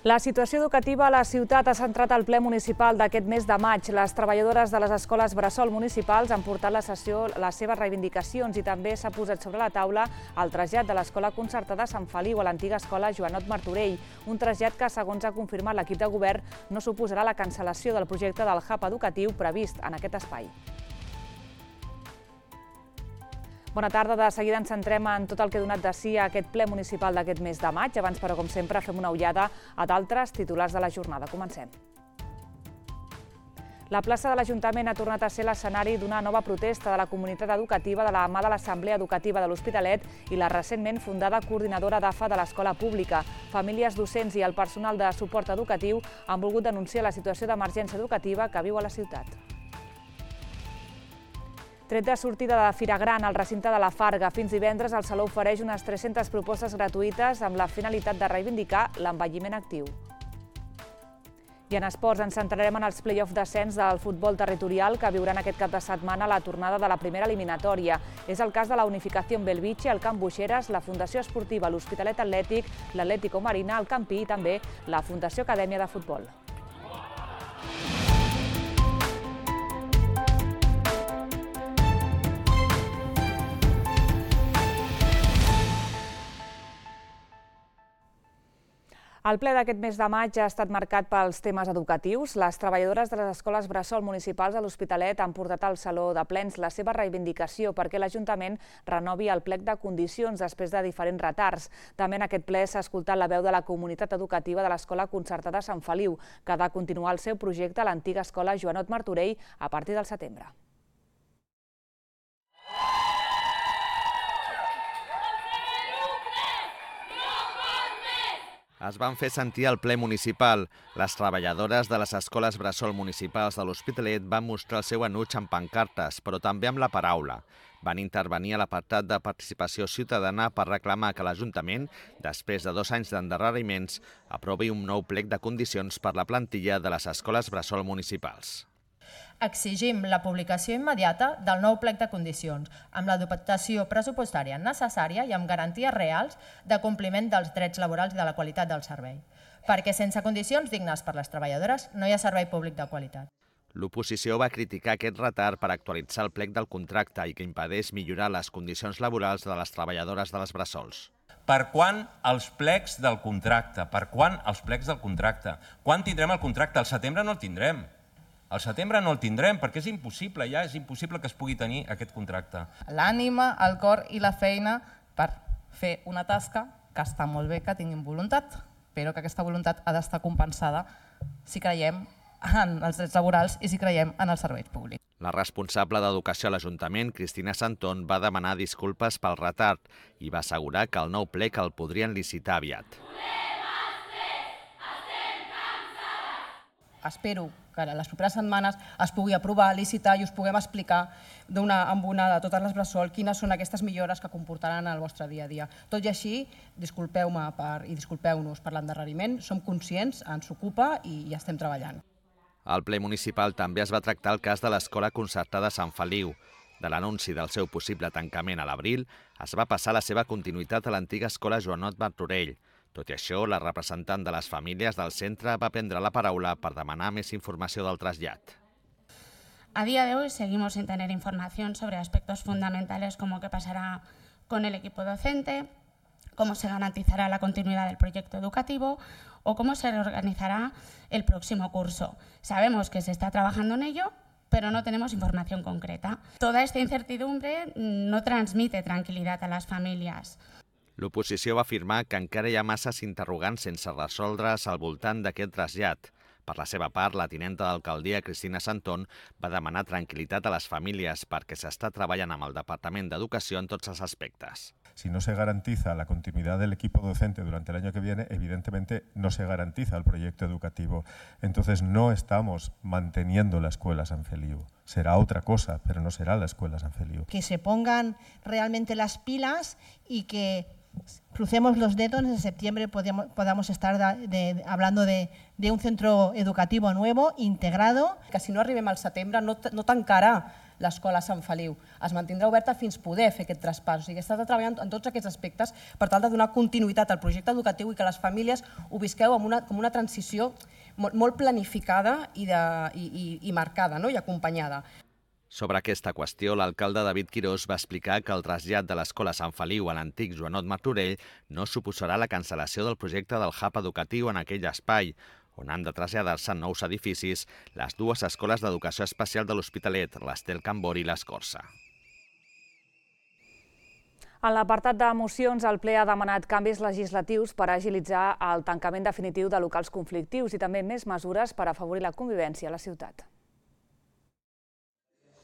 La situació educativa a la ciutat ha centrat el ple municipal d'aquest mes de maig. Les treballadores de les escoles bressol municipals han portat a la sessió les seves reivindicacions i també s'ha posat sobre la taula el trasllat de l'escola concertada Sant Feliu a l'antiga escola Joanot Martorell. Un trasllat que, segons ha confirmat l'equip de govern, no suposarà la cancel·lació del projecte del hub educatiu previst en aquest espai. Bona tarda. De seguida ens centrem en tot el que ha donat de si a aquest ple municipal d'aquest mes de maig. Abans, però, com sempre, fem una ullada a d'altres titulars de la jornada. Comencem. La plaça de l'Ajuntament ha tornat a ser l'escenari d'una nova protesta de la comunitat educativa de la mà de l'Assemblea Educativa de l'Hospitalet i la recentment fundada coordinadora d'AFA de l'escola pública. Famílies, docents i el personal de suport educatiu han volgut denunciar la situació d'emergència educativa que viu a la ciutat. Tret de sortida de Fira Gran al recinte de la Farga, fins divendres el Saló ofereix unes 300 propostes gratuïtes amb la finalitat de reivindicar l'envelliment actiu. I en esports ens centrarem en els play-off d'ascens del futbol territorial que viuran aquest cap de setmana la tornada de la primera eliminatòria. És el cas de la Unificació Belvitge, el Camp Buixeres, la Fundació Esportiva l'Hospitalet Atlètic, l'Atlético Marina, el Campí i també la Fundació Acadèmia de Futbol. El ple d'aquest mes de maig ha estat marcat pels temes educatius. Les treballadores de les escoles bressol municipals a l'Hospitalet han portat al Saló de Plens la seva reivindicació perquè l'Ajuntament renovi el plec de condicions després de diferents retards. També en aquest ple s'ha escoltat la veu de la comunitat educativa de l'escola concertada Sant Feliu, que ha de continuar el seu projecte a l'antiga escola Joanot Martorell a partir del setembre. Es van fer sentir al ple municipal. Les treballadores de les escoles bressol municipals de l'Hospitalet van mostrar el seu enuig amb pancartes, però també amb la paraula. Van intervenir a l'apartat de participació ciutadana per reclamar que l'Ajuntament, després de 2 anys d'endarreriments, aprovi un nou plec de condicions per la plantilla de les escoles bressol municipals. Exigim la publicació immediata del nou plec de condicions, amb la dotació pressupostària necessària i amb garanties reals de compliment dels drets laborals i de la qualitat del servei. Perquè sense condicions dignes per les treballadores no hi ha servei públic de qualitat. L'oposició va criticar aquest retard per actualitzar el plec del contracte i que impedeix millorar les condicions laborals de les treballadores de les bressols. Per quan els plecs del contracte? Per quan els plecs del contracte? Quan tindrem el contracte? Al setembre no el tindrem. Al setembre no el tindrem perquè és impossible, ja és impossible que es pugui tenir aquest contracte. L'ànima, el cor i la feina per fer una tasca que està molt bé que tinguin voluntat, però que aquesta voluntat ha d'estar compensada si creiem en els drets laborals i si creiem en els serveis públics. La responsable d'Educació a l'Ajuntament, Cristina Santón, va demanar disculpes pel retard i va assegurar que el nou plec el podrien licitar aviat. Espero que en les properes setmanes es pugui aprovar, licitar i us puguem explicar amb una de totes les bressol quines són aquestes millores que comportaran el vostre dia a dia. Tot i així, disculpeu-me i disculpeu-nos per l'endarreriment, som conscients, ens ocupa i estem treballant. Al ple municipal també es va tractar el cas de l'escola concertada Sant Feliu. De l'anunci del seu possible tancament a l'abril, es va passar la seva continuïtat a l'antiga escola Joanot Martorell. Tot i això, la representant de les famílies del centre va prendre la paraula per demanar més informació del trasllat. A día de hoy seguimos sin tener información sobre aspectos fundamentales como qué pasará con el equipo docente, cómo se garantizará la continuidad del proyecto educativo o cómo se reorganizará el próximo curso. Sabemos que se está trabajando en ello, pero no tenemos información concreta. Toda esta incertidumbre no transmite tranquilidad a las familias. L'oposició va afirmar que encara hi ha masses interrogants sense resoldre's al voltant d'aquest trasllat. Per la seva part, la tinenta d'alcaldia, Cristina Santón, va demanar tranquil·litat a les famílies perquè s'està treballant amb el Departament d'Educació en tots els aspectes. Si no se garantiza la continuidad del equipo docente durante el año que viene, evidentemente no se garantiza el proyecto educativo. Entonces no estamos manteniendo la escuela San Feliu. Será otra cosa, pero no será la escuela San Feliu. Que se pongan realmente las pilas y que crucemos los dedos, en septiembre podamos estar hablando de un centro educativo nuevo, integrado. Que si no arribem al setembre no tancarà l'escola Sant Feliu. Es mantindrà oberta fins poder fer aquest traspàs. O sigui, s'està treballant en tots aquests aspectes per tal de donar continuïtat al projecte educatiu i que les famílies ho visqueu com una transició molt planificada i marcada i acompanyada. Sobre aquesta qüestió, l'alcalde David Quirós va explicar que el trasllat de l'escola Sant Feliu a l'antic Joanot Martorell no suposarà la cancel·lació del projecte del hub educatiu en aquell espai, on han de traslladar-se en nous edificis les dues escoles d'educació especial de l'Hospitalet, l'Estel Cambori i l'Escorça. En l'apartat de mocions, el ple ha demanat canvis legislatius per agilitzar el tancament definitiu de locals conflictius i també més mesures per afavorir la convivència a la ciutat.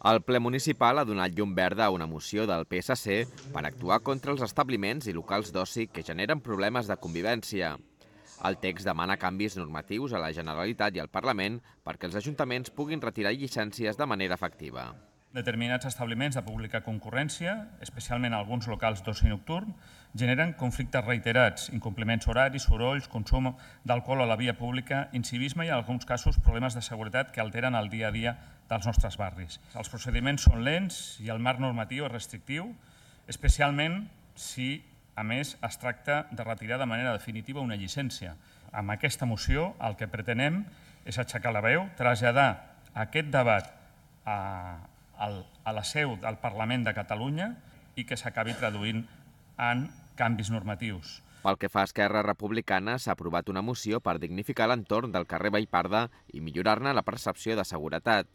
El ple municipal ha donat llum verda a una moció del PSC per actuar contra els establiments i locals d'oci que generen problemes de convivència. El text demana canvis normatius a la Generalitat i al Parlament perquè els ajuntaments puguin retirar llicències de manera efectiva. Determinats establiments de pública concurrència, especialment alguns locals d'oci nocturn, generen conflictes reiterats, incompliments horaris, sorolls, consum d'alcohol a la via pública, incivisme i, en alguns casos, problemes de seguretat que alteren el dia a dia dels nostres barris. Els procediments són lents i el marc normatiu és restrictiu, especialment si, a més, es tracta de retirar de manera definitiva una llicència. Amb aquesta moció el que pretenem és aixecar la veu, traslladar aquest debat a la seu del Parlament de Catalunya i que s'acabi traduint en canvis normatius. Pel que fa a Esquerra Republicana, s'ha aprovat una moció per dignificar l'entorn del carrer Vallparda i millorar-ne la percepció de seguretat.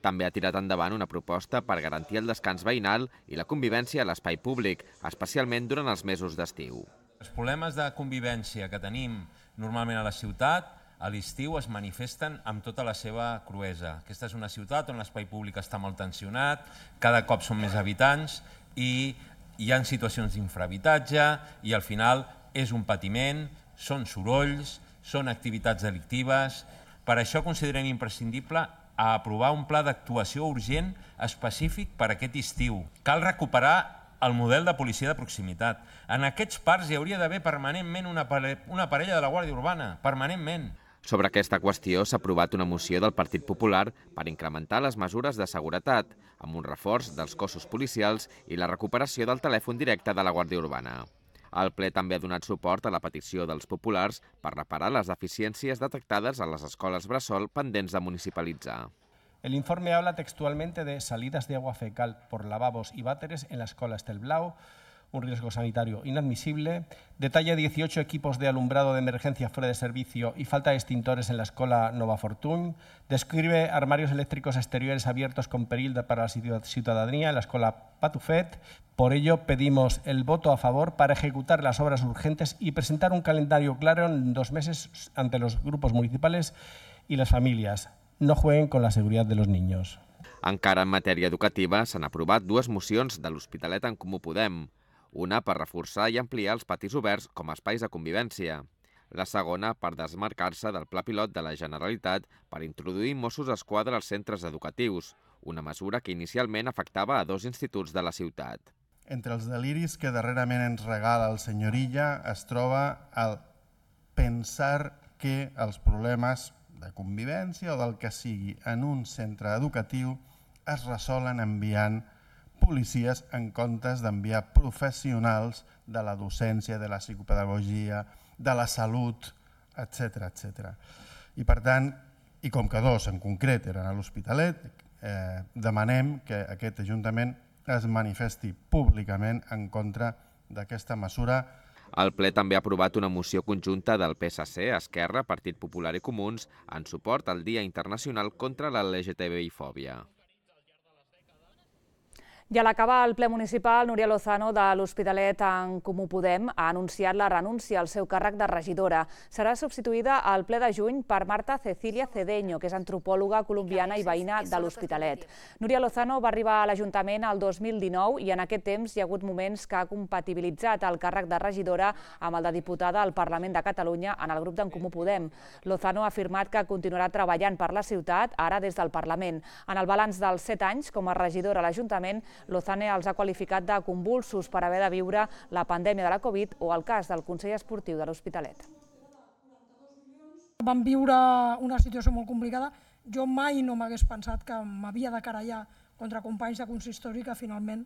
També ha tirat endavant una proposta per garantir el descans veïnal i la convivència a l'espai públic, especialment durant els mesos d'estiu. Els problemes de convivència que tenim normalment a la ciutat, a l'estiu es manifesten amb tota la seva cruesa. Aquesta és una ciutat on l'espai públic està molt tensionat, cada cop són més habitants i hi ha situacions d'infrahabitatge i al final és un patiment, són sorolls, són activitats delictives. Per això considerem imprescindible aprovar un pla d'actuació urgent específic per a aquest estiu. Cal recuperar el model de policia de proximitat. En aquests parcs hi hauria d'haver permanentment una parella de la Guàrdia Urbana, permanentment. Sobre aquesta qüestió s'ha aprovat una moció del Partit Popular per incrementar les mesures de seguretat, amb un reforç dels cossos policials i la recuperació del telèfon directe de la Guàrdia Urbana. El ple també ha donat suport a la petició dels populars per reparar les deficiències detectades a les escoles bressol pendents de municipalitzar. El informe habla textualmente de salidas de agua fecal por lavabos y váteres en la escuela Estel Blau, un riesgo sanitario inadmisible, detalla 18 equipos de alumbrado de emergencia fuera de servicio y falta de extintores en la escuela Nova Fortune, describe armarios eléctricos exteriores abiertos con perill para la ciudadanía en la escuela Patufet. Por ello, pedimos el voto a favor para ejecutar las obras urgentes y presentar un calendario claro en 2 meses ante los grupos municipales y las familias. No jueguen con la seguridad de los niños. Encara en matèria educativa s'han aprovat 2 mocions de l'Hospitalet en Comú Podem. Una per reforçar i ampliar els patis oberts com a espais de convivència. La segona per desmarcar-se del pla pilot de la Generalitat per introduir Mossos d'Esquadra als centres educatius, una mesura que inicialment afectava a 2 instituts de la ciutat. Entre els deliris que darrerament ens regala el senyor Illa es troba el pensar que els problemes de convivència o del que sigui en un centre educatiu es resolen enviant policies en comptes d'enviar professionals de la docència, de la psicopedagogia, de la salut, etc. I per tant, i com que 2 en concret eren a l'Hospitalet, demanem que aquest Ajuntament es manifesti públicament en contra d'aquesta mesura. El ple també ha aprovat una moció conjunta del PSC, Esquerra, Partit Popular i Comuns en suport al Dia Internacional contra la LGTBI-fòbia. I a l'acabar el ple municipal, Núria Lozano de l'Hospitalet en Comú Podem ha anunciat la renúncia al seu càrrec de regidora. Serà substituïda al ple de juny per Marta Cecilia Cedeño, que és antropòloga colombiana i veïna de l'Hospitalet. Núria Lozano va arribar a l'Ajuntament el 2019 i en aquest temps hi ha hagut moments que ha compatibilitzat el càrrec de regidora amb el de diputada al Parlament de Catalunya en el grup d'en Comú Podem. Lozano ha afirmat que continuarà treballant per la ciutat, ara des del Parlament. En el balanç dels 7 anys com a regidora a l'Ajuntament, Lozano els ha qualificat de convulsos per haver de viure la pandèmia de la Covid o el cas del Consell Esportiu de l'Hospitalet. Vam viure una situació molt complicada. Jo mai no m'hagués pensat que m'havia de querellar contra companys de consistori que finalment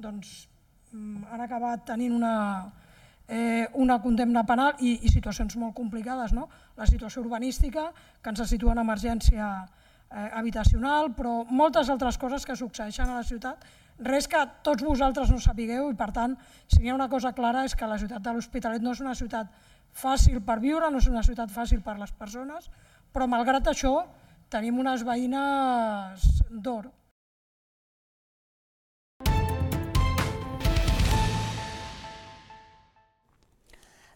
han acabat tenint una condemna penal i situacions molt complicades. La situació urbanística, que ens situa en emergència habitacional, però moltes altres coses que succeeixen a la ciutat, res que tots vosaltres no sapigueu i, per tant, si hi ha una cosa clara és que la ciutat de l'Hospitalet no és una ciutat fàcil per viure, no és una ciutat fàcil per les persones, però malgrat això tenim unes veïnes d'or.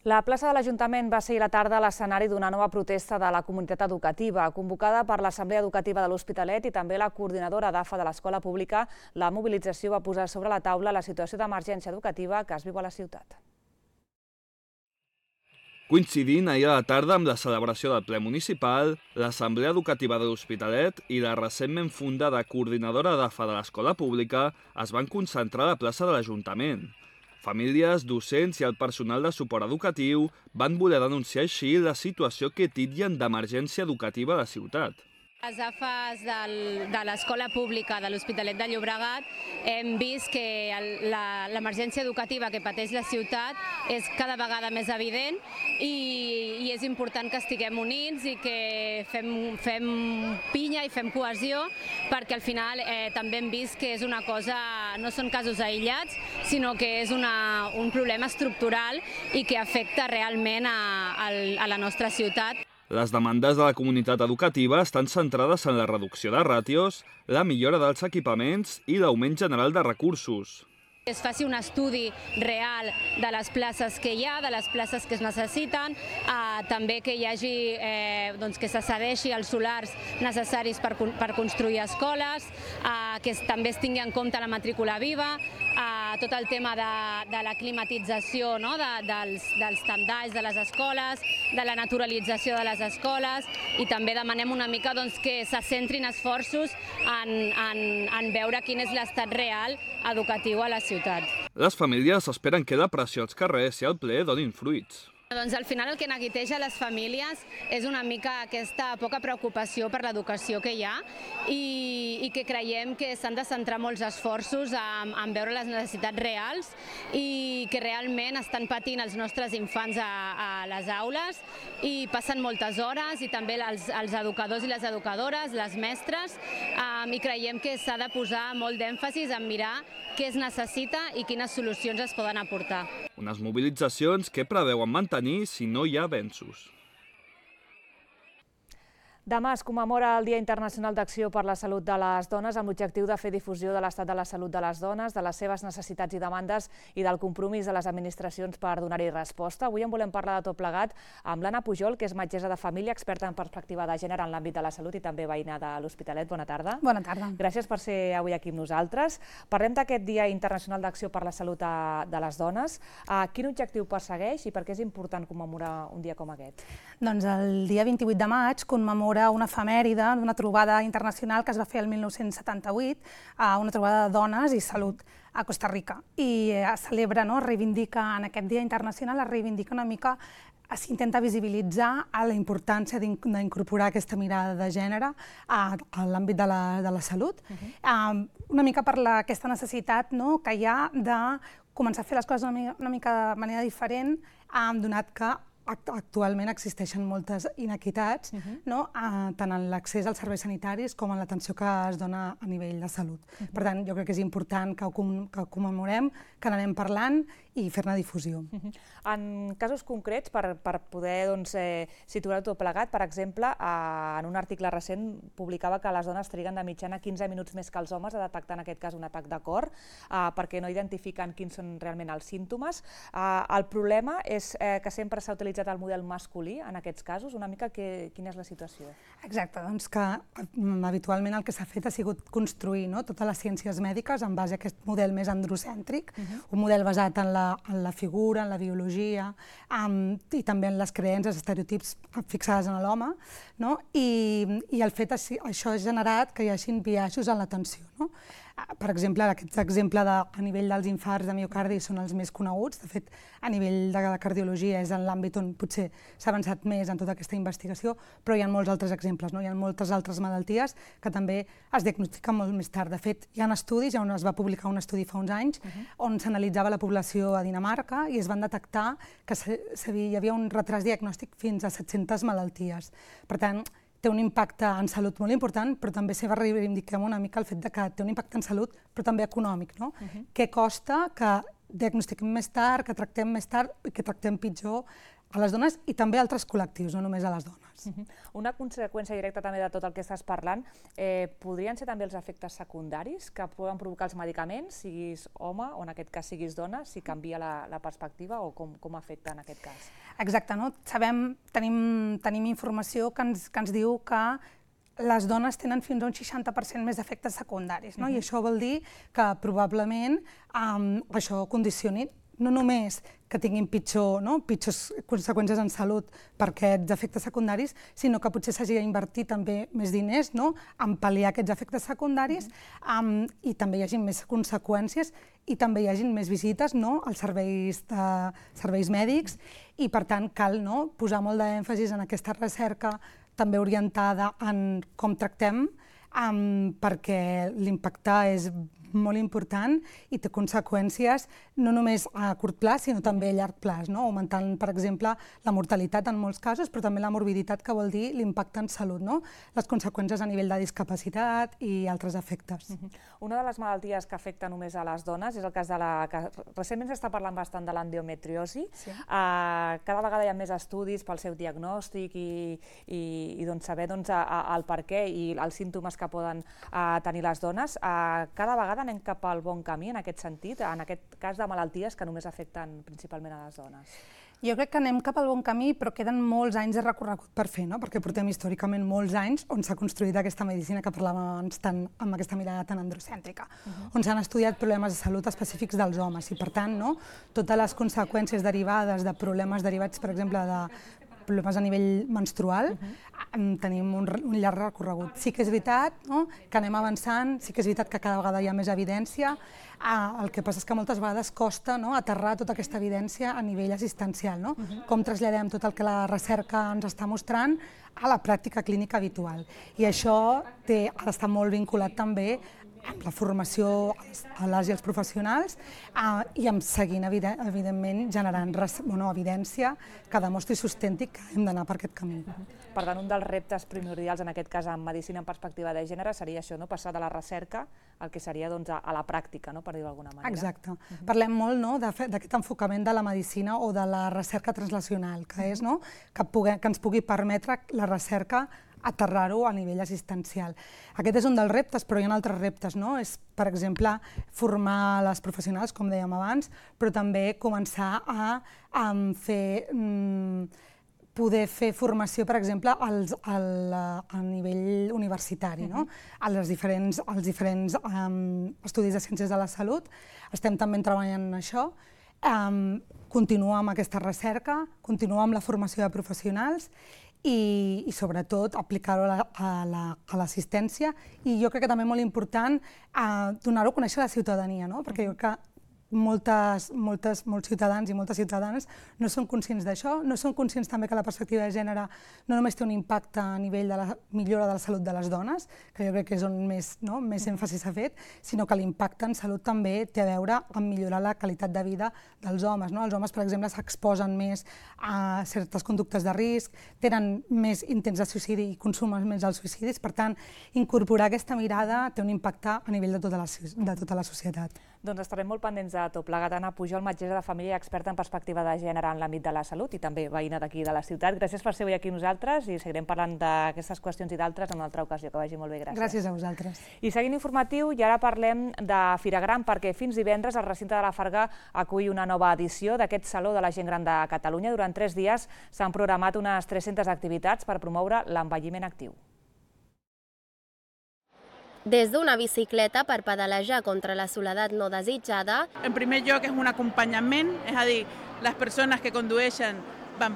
La plaça de l'Ajuntament va ser ahir a la tarda l'escenari d'una nova protesta de la comunitat educativa. Convocada per l'Assemblea Educativa de l'Hospitalet i també la coordinadora d'AFA de l'Escola Pública, la mobilització va posar sobre la taula la situació d'emergència educativa que es viu a la ciutat. Coincidint ahir a la tarda amb la celebració del ple municipal, l'Assemblea Educativa de l'Hospitalet i la recentment fundada coordinadora d'AFA de l'Escola Pública es van concentrar a la plaça de l'Ajuntament. Famílies, docents i el personal de suport educatiu van voler denunciar així la situació que titllen d'emergència educativa a la ciutat. Les AFAs de l'Escola Pública de l'Hospitalet de Llobregat hem vist que l'emergència educativa que pateix la ciutat és cada vegada més evident i és important que estiguem units i que fem pinya i fem cohesió, perquè al final també hem vist que és una cosa, no són casos aïllats, sinó que és un problema estructural i que afecta realment a la nostra ciutat. Les demandes de la comunitat educativa estan centrades en la reducció de ràtios, la millora dels equipaments i l'augment general de recursos. Es faci un estudi real de les places que hi ha, de les places que es necessiten, també que hi hagi, que se cedeixi els solars necessaris per construir escoles, que també es tingui en compte la matrícula viva, tot el tema de la climatització dels tendalls de les escoles, de la naturalització de les escoles, i també demanem una mica que se centrin esforços en veure quin és l'estat real educatiu a la ciutat. Les famílies esperen que la pressió als carrers i al ple donin fruits. Al final el que neguiteja les famílies és una mica aquesta poca preocupació per l'educació que hi ha i que creiem que s'han de centrar molts esforços en veure les necessitats reals i que realment estan patint els nostres infants a les aules i passen moltes hores, i també els educadors i les educadores, les mestres, i creiem que s'ha de posar molt d'èmfasis en mirar què es necessita i quines solucions es poden aportar. Unes mobilitzacions que preveuen mantenir si no hi ha avenços. Demà es commemora el Dia Internacional d'Acció per la Salut de les Dones amb l'objectiu de fer difusió de l'estat de la salut de les dones, de les seves necessitats i demandes i del compromís de les administracions per donar-hi resposta. Avui en volem parlar de tot plegat amb l'Anna Pujol, que és metgessa de família, experta en perspectiva de gènere en l'àmbit de la salut i també veïna de l'Hospitalet. Bona tarda. Bona tarda. Gràcies per ser avui aquí amb nosaltres. Parlem d'aquest Dia Internacional d'Acció per la Salut de les Dones. Quin objectiu persegueix i per què és important commemorar un dia com aquest? Doncs el dia 28 de maig commemora una efemèride d'una trobada internacional que es va fer el 1978, una trobada de dones i salut a Costa Rica. I es celebra, reivindica en aquest Dia Internacional, es reivindica una mica, s'intenta visibilitzar la importància d'incorporar aquesta mirada de gènere a l'àmbit de la salut, una mica per aquesta necessitat que hi ha de començar a fer les coses una mica de manera diferent, donat que actualment existeixen moltes inequitats, tant en l'accés als serveis sanitaris com en l'atenció que es dona a nivell de salut. Per tant, jo crec que és important que ho commemorem, que n'anem parlant i fer-ne difusió. En casos concrets, per poder situar tot plegat, per exemple, en un article recent publicava que les dones triguen de mitjana 15 minuts més que els homes a detectar en aquest cas un atac de cor, perquè no identifiquen quins són realment els símptomes. El problema és que sempre s'ha utilitzat el model masculí en aquests casos. Una mica quina és la situació? Exacte, doncs que habitualment el que s'ha fet ha sigut construir totes les ciències mèdiques en base a aquest model més androcèntric, un model basat en la figura, en la biologia i també en les creences, estereotips fixades en l'home, i el fet això ha generat que hi hagin biaixos en l'atenció. Per exemple, aquest exemple a nivell dels infarts de miocardi són els més coneguts. De fet, a nivell de la cardiologia és en l'àmbit on potser s'ha avançat més en tota aquesta investigació, però hi ha molts altres exemples, no? Hi ha moltes altres malalties que també es diagnostiquen molt més tard. De fet, hi ha estudis, on es va publicar un estudi fa uns anys, on s'analitzava la població a Dinamarca i es van detectar que hi havia un retras diagnòstic fins a 700 malalties. Per tant, té un impacte en salut molt important, però també se reivindiquem una mica el fet que té un impacte en salut, però també econòmic. Què costa que diagnostiquem més tard, que tractem més tard i que tractem pitjor a les dones i també a altres col·lectius, no només a les dones. Una conseqüència directa també de tot el que estàs parlant podrien ser també els efectes secundaris que poden provocar els medicaments, siguis home o en aquest cas siguis dona, si canvia la perspectiva o com afecta en aquest cas? Exacte, tenim informació que ens diu que les dones tenen fins a un 60% més d'efectes secundaris, i això vol dir que probablement això condicioni no només que tinguin pitjors conseqüències en salut per aquests efectes secundaris, sinó que potser s'hagi d'invertir també més diners en pal·liar aquests efectes secundaris i també hi hagi més conseqüències i també hi hagi més visites als serveis mèdics i, per tant, cal posar molt d'èmfasis en aquesta recerca també orientada en com tractem, perquè l'impacte és molt important i té conseqüències no només a curt plaç, sinó també a llarg plaç, augmentant, per exemple, la mortalitat en molts casos, però també la morbiditat, que vol dir l'impacte en salut, les conseqüències a nivell de discapacitat i altres efectes. Una de les malalties que afecta només a les dones és el cas de la... Recentment s'està parlant bastant de l'endometriosi. Cada vegada hi ha més estudis pel seu diagnòstic i saber el per què i els símptomes que poden tenir les dones. Cada vegada anem cap al bon camí en aquest sentit, en aquest cas de malalties que només afecten principalment a les dones? Jo crec que anem cap al bon camí, però queden molts anys de recorregut per fer, perquè portem històricament molts anys on s'ha construït aquesta medicina que parlàvem abans amb aquesta mirada tan androcèntrica, on s'han estudiat problemes de salut específics dels homes i, per tant, totes les conseqüències derivades de problemes derivats, per exemple, de problemes a nivell menstrual, tenim un llarg recorregut. Sí que és veritat que anem avançant, sí que és veritat que cada vegada hi ha més evidència, el que passa és que moltes vegades costa aterrar tota aquesta evidència a nivell assistencial, com traslladem tot el que la recerca ens està mostrant a la pràctica clínica habitual. I això ha d'estar molt vinculat també amb la formació a les i els professionals i amb seguint, evidentment, generant evidència que demostri i sustenti que hem d'anar per aquest camí. Per tant, un dels reptes primordials, en aquest cas en medicina en perspectiva de gènere, seria això, passar de la recerca al que seria a la pràctica, per dir-ho d'alguna manera. Exacte. Parlem molt d'aquest enfocament de la medicina o de la recerca translacional, que és que ens pugui permetre la recerca aterrar-ho a nivell assistencial. Aquest és un dels reptes, però hi ha altres reptes. És, per exemple, formar les professionals, com dèiem abans, però també començar a poder fer formació, per exemple, a nivell universitari, als diferents estudis de ciències de la salut. Estem també treballant en això. Continuar amb aquesta recerca, continuar amb la formació de professionals i sobretot aplicar-ho a l'assistència i jo crec que també molt important donar-ho a conèixer a la ciutadania, perquè jo crec que molts ciutadans i moltes ciutadanes no són conscients d'això, no són conscients també que la perspectiva de gènere no només té un impacte a nivell de la millora de la salut de les dones, que jo crec que és on més èmfasi s'ha fet, sinó que l'impacte en salut també té a veure amb millorar la qualitat de vida dels homes. Els homes, per exemple, s'exposen més a certes conductes de risc, tenen més intents de suïcidi i consumen més els suïcidis, per tant, incorporar aquesta mirada té un impacte a nivell de tota la societat. Doncs estarem molt pendents de tot plegat. Anna Pujol, metgessa de família i experta en perspectiva de gènere en l'àmbit de la salut i també veïna d'aquí de la ciutat. Gràcies per ser avui aquí nosaltres i seguirem parlant d'aquestes qüestions i d'altres en una altra ocasió. Que vagi molt bé, gràcies. Gràcies a vosaltres. I seguint informatiu, i ara parlem de Fira Gran, perquè fins divendres el recinte de la Farga acull una nova edició d'aquest Saló de la Gent Gran de Catalunya. Durant 3 dies s'han programat unes 300 activitats per promoure l'envelliment actiu. Des d'una bicicleta per pedalejar contra la soledat no desitjada. En primer lloc és un acompanyament, és a dir, les persones que condueixen van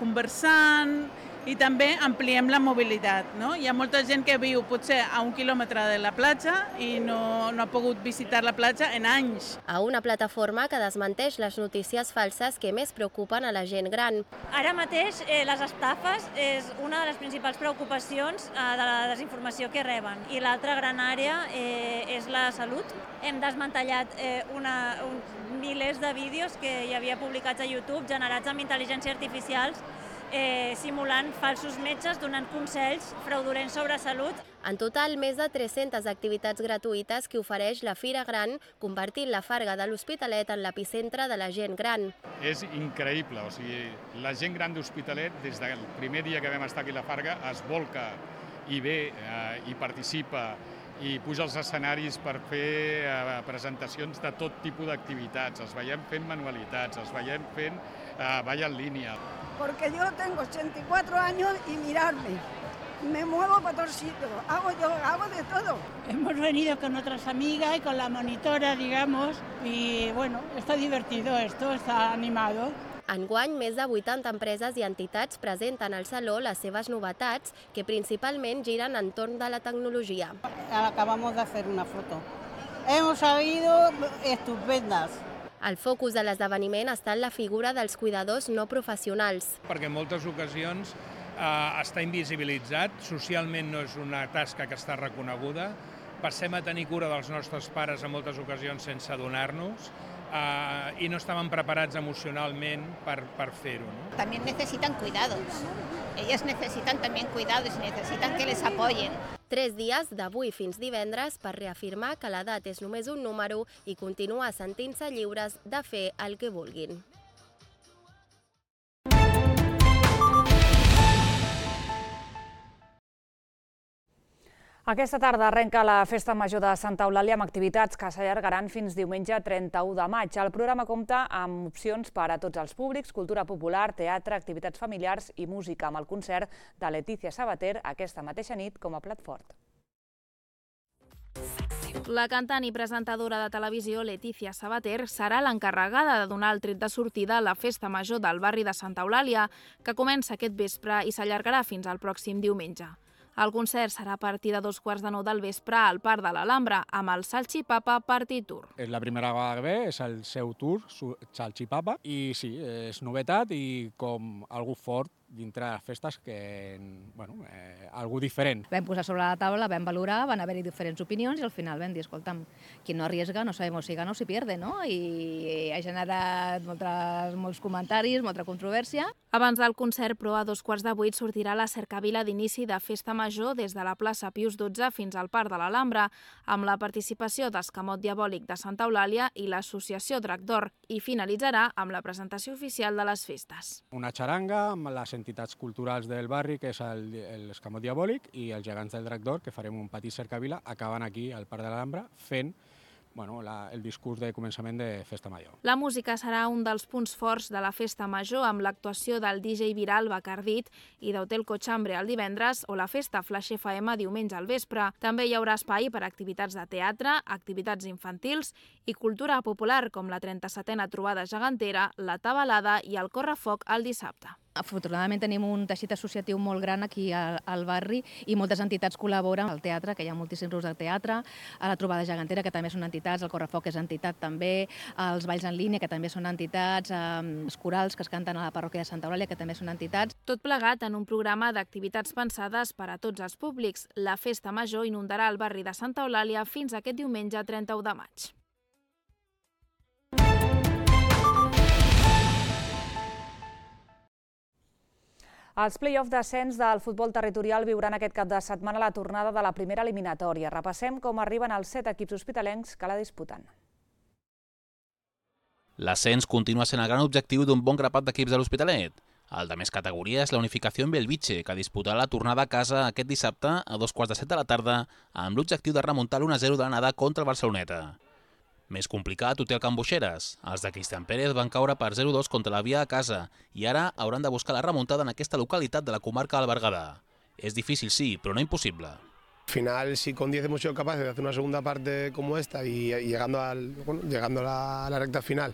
conversant, i també ampliem la mobilitat. No? Hi ha molta gent que viu potser a 1 quilòmetre de la platja i no ha pogut visitar la platja en anys. A una plataforma que desmenteix les notícies falses que més preocupen a la gent gran. Ara mateix les estafes és una de les principals preocupacions de la desinformació que reben. I l'altra gran àrea és la salut. Hem desmantellat milers de vídeos que hi havia publicats a YouTube generats amb intel·ligència artificial simulant falsos metges donant consells fraudulents sobre salut. En total, més de 300 activitats gratuïtes que ofereix la Fira Gran, convertint la Farga de l'Hospitalet en l'epicentre de la gent gran. És increïble, o sigui, la gent gran d'Hospitalet, des del primer dia que vam estar aquí a la Farga, es volca i ve i participa i puja als escenaris per fer presentacions de tot tipus d'activitats. Els veiem fent manualitats, els veiem fent ball en línia. Porque yo tengo 84 años y mirarme, me muevo para todos sitios, hago de todo. Hemos venido con otras amigas y con la monitora, digamos, y bueno, está divertido esto, está animado. Enguany, més de 80 empreses i entitats presenten al Saló les seves novetats, que principalment giren entorn de la tecnologia. Acabamos de hacer una foto. Hemos salido estupendas. El focus de l'esdeveniment està en la figura dels cuidadors no professionals. Perquè en moltes ocasions està invisibilitzat, socialment no és una tasca que està reconeguda, passem a tenir cura dels nostres pares en moltes ocasions sense adonar-nos, y no estaban preparados emocionalmente para fer-ho. ¿No? También necesitan cuidados. Ellas necesitan también cuidados y necesitan que les apoyen. 3 dies, d'avui fins divendres, per reafirmar que l'edat és només un número i continuar sentint-se lliures de fer el que vulguin. Aquesta tarda arrenca la Festa Major de Santa Eulàlia amb activitats que s'allargaran fins diumenge 31 de maig. El programa compta amb opcions per a tots els públics, cultura popular, teatre, activitats familiars i música, amb el concert de Letícia Sabater aquesta mateixa nit com a plat fort. La cantant i presentadora de televisió Letícia Sabater serà l'encarregada de donar el tret de sortida a la Festa Major del barri de Santa Eulàlia, que comença aquest vespre i s'allargarà fins al pròxim diumenge. El concert serà a partir de 2:15 del vespre al Parc de l'Alhambra, amb el Salchipapa Party Tour. És la primera vegada que ve, és el seu tour, Salchipapa, i sí, és novetat i com algú fort dintre de les festes, que, bueno, algú diferent. Vam posar sobre la taula, vam valorar, van haver-hi diferents opinions i al final vam dir, escolta'm, qui no arriesga no sabemos si gana o si pierde, no? I ha generat molts comentaris, molta controvèrsia. Abans del concert, però a 7:15 sortirà la cercavila d'inici de Festa Major des de la plaça Pius XII fins al Parc de l'Alhambra, amb la participació d'Escamot Diabòlic de Santa Eulàlia i l'associació Drac d'Or, i finalitzarà amb la presentació oficial de les festes. Una xaranga amb les entitats culturals del barri, que és l'Escamot Diabòlic, i els gegants del Drac d'Or, que farem un petit cercavila, acabant aquí al Parc de l'Alhambra, fent el discurs de començament de Festa Major. La música serà un dels punts forts de la Festa Major, amb l'actuació del DJ viral Bacardit i d'Hotel Cochambre el divendres o la festa Flash FM diumenge al vespre. També hi haurà espai per a activitats de teatre, activitats infantils i cultura popular, com la 37a trobada gegantera, la tabalada i el correfoc el dissabte. Afortunadament tenim un teixit associatiu molt gran aquí al barri i moltes entitats col·laboren al teatre, que hi ha moltíssims grups de teatre, a la trobada gegantera, que també són entitats, el correfoc és entitat també, els balls en línia, que també són entitats, els corals que es canten a la parròquia de Santa Eulàlia, que també són entitats. Tot plegat en un programa d'activitats pensades per a tots els públics. La Festa Major inundarà el barri de Santa Eulàlia fins aquest diumenge 31 de maig. Els play-off d'ascens del futbol territorial viuran aquest cap de setmana la tornada de la primera eliminatòria. Repassem com arriben els 7 equips hospitalencs que la disputen. L'ascens continua sent el gran objectiu d'un bon grapat d'equips de l'Hospitalet. El de més categoria és la Unificació en Bellvitge, que disputarà la tornada a casa aquest dissabte a 7:15 de la tarda amb l'objectiu de remuntar l'1-0 de l'anada contra el Barceloneta. Més complicat ho té el Can Boixeres. Els de Cristian Pérez van caure per 0-2 contra la Via a casa i ara hauran de buscar la remuntada en aquesta localitat de la comarca del Berguedà. És difícil, sí, però no impossible. Al final, si con 10 hemos sido capaces de hacer una segunda parte como esta y llegando a la recta final,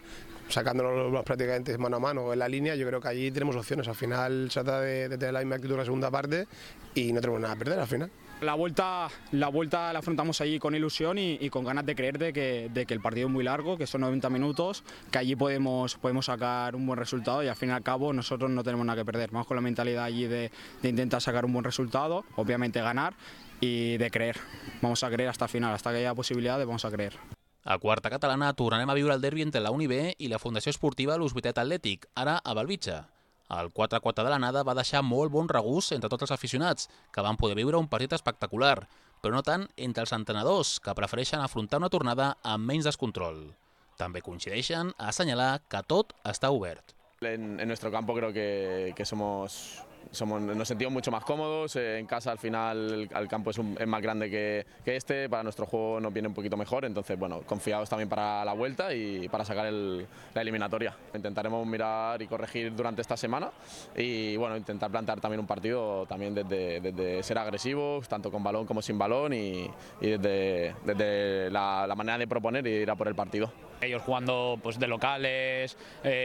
sacándonos prácticamente mano a mano en la línea, yo creo que allí tenemos opciones. Al final se trata de tener la misma actitud en la segunda parte y no tenemos nada a perder al final. La vuelta la afrontamos allí con ilusión y con ganas de creer de que el partido es muy largo, que son 90 minutos, que allí podemos sacar un buen resultado y al fin y al cabo nosotros no tenemos nada que perder. Vamos con la mentalidad allí de intentar sacar un buen resultado, obviamente ganar i de creer. Vamos a creer hasta el final, hasta que hi ha possibilitat, vamos a creer. A quarta catalana tornarem a viure el derbi entre la Uni B i la Fundació Esportiva l'Hospitalet Atlètic, ara a Belvitge. El 4-4 de l'anada va deixar molt bon regust entre tots els aficionats, que van poder viure un partit espectacular, però no tant entre els entrenadors, que prefereixen afrontar una tornada amb menys descontrol. També coincideixen a assenyalar que tot està obert. En nuestro campo creo que nos sentimos mucho más cómodos. En casa al final el campo es más grande que este, para nuestro juego nos viene un poquito mejor, entonces bueno, confiados también para la vuelta y para sacar la eliminatoria. Intentaremos mirar y corregir durante esta semana y bueno, intentar plantear también un partido también desde ser agresivos, tanto con balón como sin balón y desde la manera de proponer y ir a por el partido. Ellos jugando pues de locales,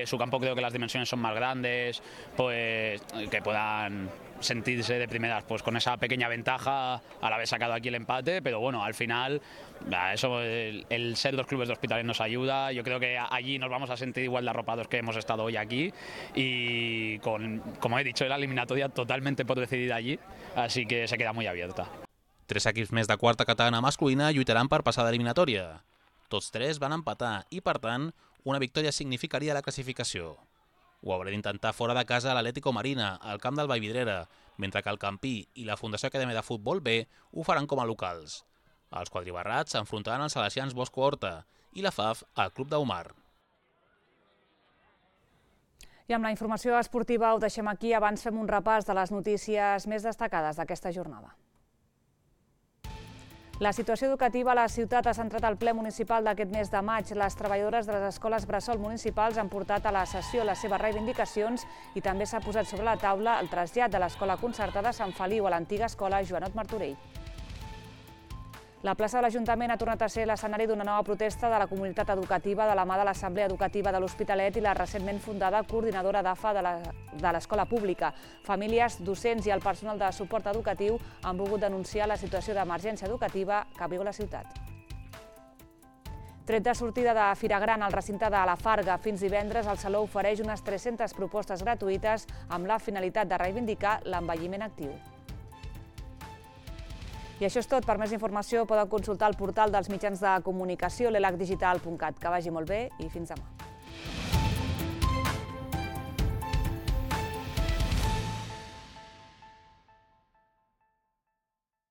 su campo creo que las dimensiones son más grandes, pues que puedan sentirse de primeras pues con esa pequeña ventaja al haber sacado aquí el empate, pero bueno, al final eso, el ser dos clubes de Hospitalet nos ayuda. Yo creo que allí nos vamos a sentir igual de arropados que hemos estado hoy aquí y como he dicho, la eliminatoria totalmente por decidir allí, así que se queda muy abierta. 3 equips més de quarta catalana masculina lluitaran per passar d'eliminatòria. Tots 3 van empatar i, per tant, una victòria significaria la classificació. Ho haurà d'intentar fora de casa l'Atlético Marina, al camp del Vallvidrera, mentre que el Campí i la Fundació Acadèmia de Futbol B ho faran com a locals. Els quadribarrats s'enfrontaran als salesians Bosco Horta i la FAF al Club d'Aumar. I amb la informació esportiva ho deixem aquí. Abans fem un repàs de les notícies més destacades d'aquesta jornada. La situació educativa a la ciutat ha centrat el ple municipal d'aquest mes de maig. Les treballadores de les escoles bressol municipals han portat a la sessió les seves reivindicacions i també s'ha posat sobre la taula el trasllat de l'escola concertada Sant Feliu a l'antiga escola Joanot Martorell. La plaça de l'Ajuntament ha tornat a ser l'escenari d'una nova protesta de la comunitat educativa de la mà de l'Assemblea Educativa de l'Hospitalet i la recentment fundada Coordinadora d'AFA de l'Escola Pública. Famílies, docents i el personal de suport educatiu han volgut denunciar la situació d'emergència educativa que viu la ciutat. Tret de sortida de Fira Gran al recinte de la Farga, fins divendres el Saló ofereix unes 300 propostes gratuïtes amb la finalitat de reivindicar l'envelliment actiu. I això és tot. Per més informació poden consultar el portal dels mitjans de comunicació l'elacdigital.cat. Que vagi molt bé i fins demà.